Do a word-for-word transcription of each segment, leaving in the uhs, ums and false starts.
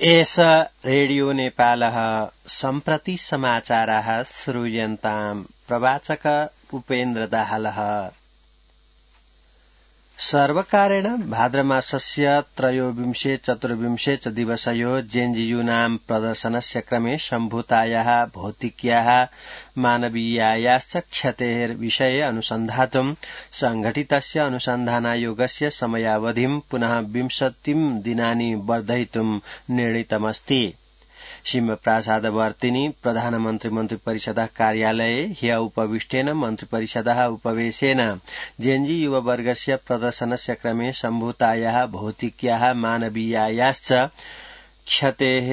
एष रेडियो नेपालः सम्प्रति समाचाराः श्रूयन्ताम्। प्रवाचक उपेन्द्र दाहालः। सर्वकारेण भाद्रमासस्य त्रयोविंशे चतुर्विंशे च दिवसयो जेएनयू प्रदर्शनस्य क्रमे सम्भूतायाः भौतिक्याः मानवीयायाश्च क्षतेर्विषये अनुसन्धातुं संघटितस्य अनुसन्धानायोगस्य समयावधिं पुनः विंशतिं दिनानि वर्धयितुं निर्णीतमस्ति। सिंहप्रासादवर्तिनि प्रधानमन्त्री मन्त्रिपरिषदः कार्यालये ह्य उपविष्टेन मन्त्रिपरिषदः उपवेशेन जेएनयू युववर्गस्य प्रदर्शनस्य क्रमे सम्भूतायाः भौतिक्याः मानवीयायाश्च क्षतेः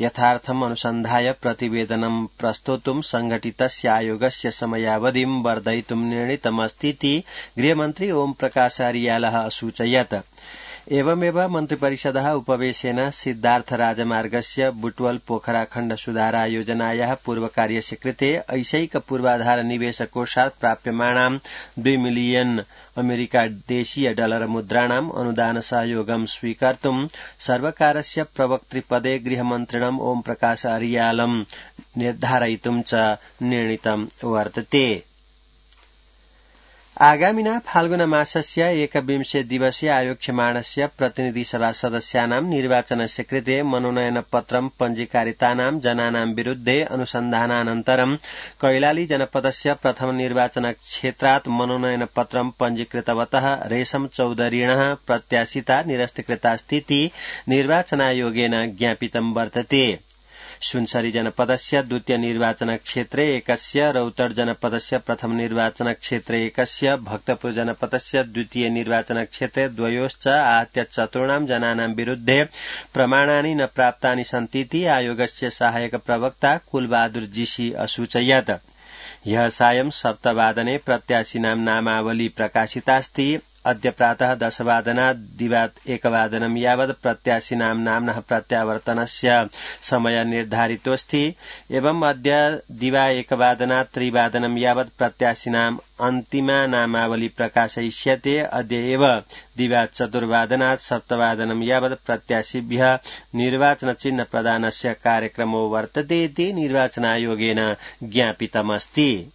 यथार्थम् अनुसन्धाय प्रतिवेदनं प्रस्तोतुं संघटितस्य आयोगस्य समयावधिं वर्धयितुं निर्णीतमस्तीति गृहमन्त्री ओम प्रकाश अरियालः असूचयत्। एवमेव मन्त्रिपरिषदः उपवेशेन सिद्धार्थ राजमार्गस्य बुटवल पोखरा खण्ड सुधार योजनायाः पूर्वकार्यस्य कृते ऐशैक पूर्वाधार निवेश कोषात् प्राप्यमाणां द्वि मिलियन अमेरिका देशीय डलर मुद्राणाम् अनुदान सहयोगं स्वीकर्तुं सर्वकारस्य प्रवक्तृपदे गृहमन्त्रिणम् ओम प्रकाश अरियालं निर्धारयितुं च निर्णीतं वर्तते। आगामिना फाल्गुन मासस्य एकविंशे दिवसे आयोक्ष्यमाणस्य प्रतिनिधि सभा सदस्यानां निर्वाचनस्य कृते मनोनयन पत्रं पञ्जीकारितानां जनानां विरुद्धे अनुसन्धानानन्तरं कैलाली जनपदस्य प्रथम निर्वाचन क्षेत्रात् मनोनयन पत्रं पञ्जीकृतवतः रेशम चौधरीणः प्रत्याशिता निरस्तीकृतास्तीति निर्वाचनायोगेन ज्ञापितं वर्तते। सुनसरी जनपदस्य द्वितीय निर्वाचन क्षेत्रे एकस्य, रौतड जनपदस्य प्रथम निर्वाचन क्षेत्रे एकस्य, भक्तपुर जनपदस्य द्वितीय निर्वाचन क्षेत्रे द्वयोश्च आहत्य चतुर्णां जनानां विरुद्धे प्रमाणानि न प्राप्तानि सन्तीति आयोगस्य सहायक प्रवक्ता कुलबहादुर जीसी असूचयत्। ह्यः सायं सप्तवादने प्रत्याशिनां नामावली प्रकाशितास्ति। अद्य प्रातः दशवादनात् दिवात् एकवादनं यावत् प्रत्याशिनां नाम्नः प्रत्यावर्तनस्य समय निर्धारितोऽस्ति। एवं अद्य दिवा एकवादनात् त्रिवादनं यावत् प्रत्याशिनां अन्तिमा नामावली प्रकाशयिष्यते। अद्य एव दिवा चतुर्वादनात् सप्तवादनं यावत् प्रत्याशिभ्यः निर्वाचन चिह्न प्रदानस्य कार्यक्रमो वर्तते इति निर्वाचनायोगेन ज्ञापितमस्ति।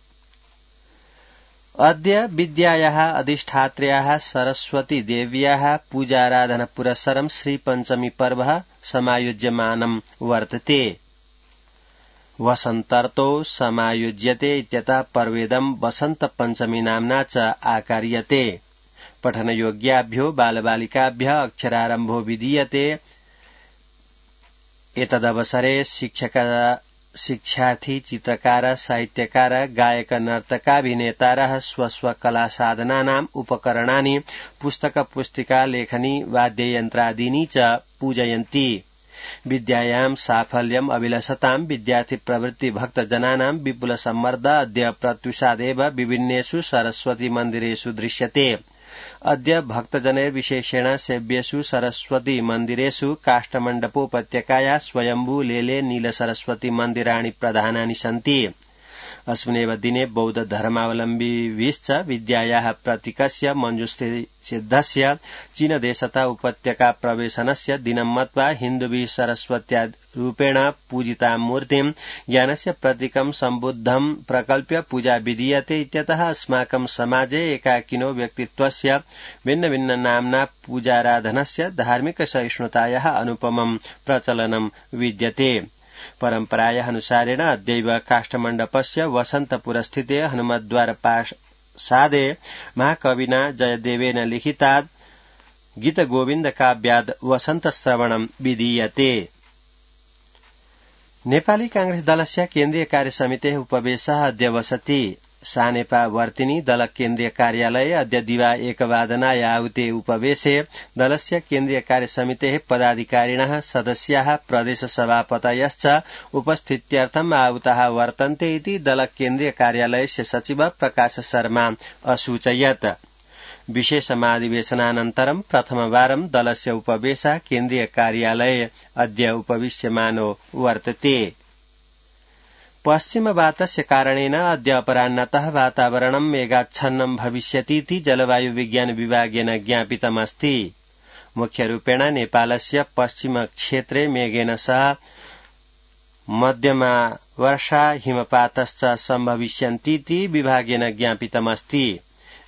अद्य विद्यायाः अधिष्ठात्र्याः सरस्वती देव्याः पूजाराधन पुरस्सरं श्रीपञ्चमी पर्व समायोज्यमानं वर्तते। वसन्तर्तो समायोज्यते इत्यतः पर्वेदं वसन्त पञ्चमी नाम्ना च आकार्यते। पठनयोग्याभ्यो बालबालिकाभ्यः अक्षरारम्भो विधीयते। एतदवसरे शिक्षक शिक्षार्थी, चित्रकार, साहित्यकार, गायक, नर्तकाभिनेतारः स्वस्व कला साधनानाम् उपकरणानि पुस्तक पुस्तिका लेखनी वाद्ययन्त्रादीनि च पूजयन्ति। विद्यायां साफल्यम् अभिलषतां विद्यार्थी प्रवृत्ति भक्तजनानां विपुल सम्मर्द अद्य प्रत्युषादेव विभिन्नेषु सरस्वती मन्दिरेषु दृश्यते। अद्य भक्तजनैर्विशेषेण सेव्येषु सरस्वती मन्दिरेषु काष्ठमण्डपोपत्यकाया स्वयम्भू लेले नील सरस्वती मन्दिराणि प्रधानानि सन्ति। अस्मिन्नेव दिने बौद्ध धर्मावलम्बिभिश्च विद्यायाः प्रतीकस्य मञ्जुसिद्धस्य चीनदेशतः उपत्यका प्रवेशनस्य दिनं मत्वा हिन्दुभिः सरस्वत्या रूपेण पूजिता मूर्तिं ज्ञानस्य प्रतीकं सम्बुद्धं प्रकल्प्य पूजा विधीयते इत्यतः अस्माकं समाजे एकाकिनो व्यक्तित्वस्य भिन्न भिन्न नाम्ना पूजाराधनस्य धार्मिक सहिष्णुतायाः अनुपमं प्रचलनं विद्यते। परम्परायाः अनुसारेण अद्यैव काष्ठमण्डपस्य वसन्तपुरस्थिते हनुमद्वार प्रासादे महाकविना जयदेवेन लिखितात् गीतगोविन्द काव्याद् वसन्तश्रवणं विधीयते। नेपाली कांग्रेस दलस्य केन्द्रीय कार्यसमितेः उपवेशः अद्य वसति। सानेपा वर्तिनि दल केन्द्रीय कार्यालये अद्य दिवा एकवादनाय आहुते उपवेशे दलस्य केन्द्रीय कार्यसमितेः पदाधिकारिणः सदस्याः प्रदेश सभापतयश्च उपस्थित्यर्थम् आहुताः वर्तन्ते इति दल केन्द्रीय कार्यालयस्य सचिव प्रकाश शर्मा असूचयत्। विशेषमाधिवेशनानन्तरं प्रथमवारं दलस्य उपवेशः केन्द्रीय कार्यालये अद्य उपविश्यमानो वर्तते। पश्चिमवातस्य कारणेन अद्य अपराह्नतः वातावरणं मेघाच्छन्नं भविष्यतीति जलवायु विज्ञान विभागेन ज्ञापितमस्ति। मुख्य रूपेण नेपालस्य पश्चिम क्षेत्रे मेघेन सह मध्यमा वर्षा हिमपातश्च सम्भविष्यन्तीति विभागेन ज्ञापितमस्ति।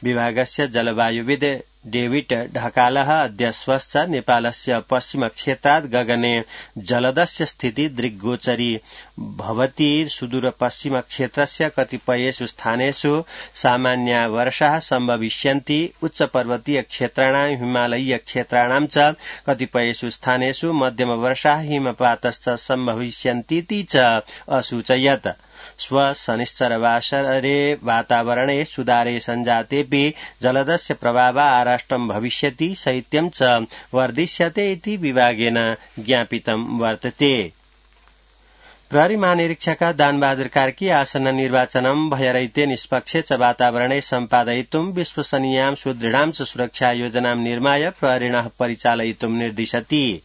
विभागस्य जलवायुविद डेविड ढकालः अद्य स्वश्च नेपालस्य पश्चिम क्षेत्रात् गगने जलदस्य स्थिति दृग्गोचरी भवति। सुदूर पश्चिम क्षेत्रस्य कतिपयेषु स्थानेषु सामान्या वर्षाः सम्भविष्यन्ति। उच्च पर्वतीय क्षेत्राणां हिमालयीय क्षेत्राणां च कतिपयेषु स्थानेषु मध्यम वर्षाः हिमपातश्च सम्भविष्यन्तीति च असूचयत्। स्व शनिश्चरवासरे वातावरणे सुधारे सञ्जातेऽपि जलदस्य प्रभावः आराष्ट्रं भविष्यति, शैत्यं च वर्धिष्यते इति विभागेन ज्ञापितं वर्तते। प्रहरी महानिरीक्षक दानबहादुर कार्की आसन्न निर्वाचनं भयरहिते निष्पक्ष च वातावरणे सम्पादयितुं विश्वसनीयां सुदृढां च सुरक्षा योजनां निर्माय प्रहरिणः परिचालयितुं निर्दिशति।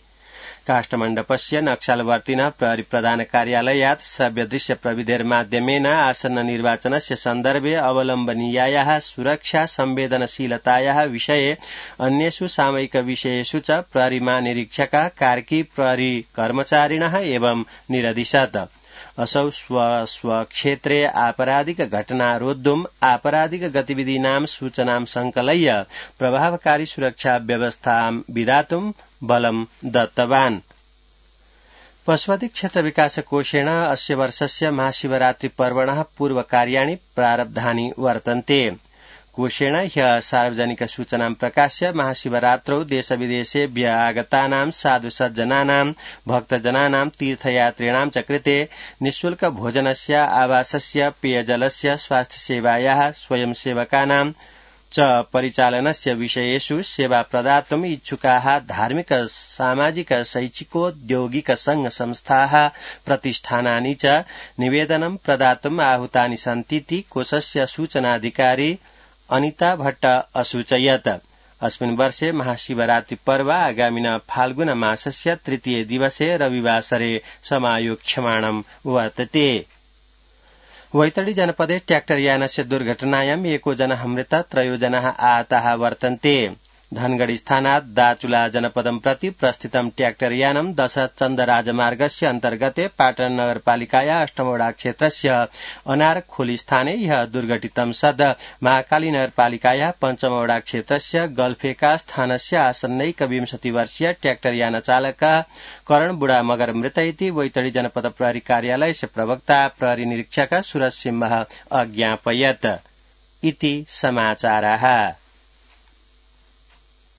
काष्ठमण्डपस्य नक्सालवर्तिनः प्रहरी प्रधान कार्यालयात् श्रव्यदृश्य प्रविधेर्माध्यमेन आसन्न निर्वाचनस्य सन्दर्भे अवलम्बनीयायाः सुरक्षा संवेदनशीलतायाः विषये अन्येषु सामयिक विषयेषु च प्रहरी महानिरीक्षकः कार्की प्रहरी कर्मचारिणः एवं निरदिशत्। असौ स्व स्वक्षेत्रे आपराधिक घटना रोद्धुम् आपराधिक गतिविधीनां सूचनां संकलय्य प्रभावकारी सुरक्षा व्यवस्थां विधातुं बलं दत्तवान्। पशुपति क्षेत्र विकास कोषेण अस्य वर्षस्य महाशिवरात्रि पर्वणः पूर्वकार्याणि प्रारब्धानि वर्तन्ते। कोषेण ह्यः सार्वजनिक सूचनां प्रकाश्य महाशिवरात्रौ देशविदेशेभ्य आगतानां साधुसज्जनानां भक्तजनानां तीर्थयात्रिणां च कृते निःशुल्क भोजनस्य, आवासस्य, पेयजलस्य, स्वास्थ्यसेवायाः, स्वयंसेवकानां च परिचालनस्य विषयेषु सेवा प्रदातुम् इच्छुकाः धार्मिक, सामाजिक, शैक्षिकोद्योगिक संघ संस्थाः, प्रतिष्ठानानि च निवेदनं प्रदातुम् आहूतानि सन्तीति कोषस्य सूचनाधिकारी अनिता भट्ट असूचयत्। अस्मिन् वर्षे महाशिवरात्रि पर्व आगामिन फाल्गुन मासस्य तृतीय दिवसे रविवासरे समायोक्ष्यमाणं वर्तते। वैतडी जनपदे ट्र्याक्टर यानस्य दुर्घटनायाम् एको जनः मृतः, त्रयो जनाः आहताः वर्तन्ते। धनगढ़ी स्थानात् दाचुला जनपदं प्रति प्रस्थितं ट्र्याक्टर यानं दशचन्द राजमार्गस्य अन्तर्गते पाटन नगरपालिकाया अष्टमवडा क्षेत्रस्य अनारखोली स्थाने ह्यः दुर्घटितं सद् महाकाली नगरपालिकाया पञ्चमवडा क्षेत्रस्य गल्फेका स्थानस्य आसन्नैकविंशति वर्षीय ट्र्याक्टर यान चालकः करण बुढा मगर मृत इति वैतडी जनपद प्रहरी कार्यालयस्य प्रवक्ता प्रहरी निरीक्षक सूरज सिंह अज्ञापयत्। इति समाचाराः।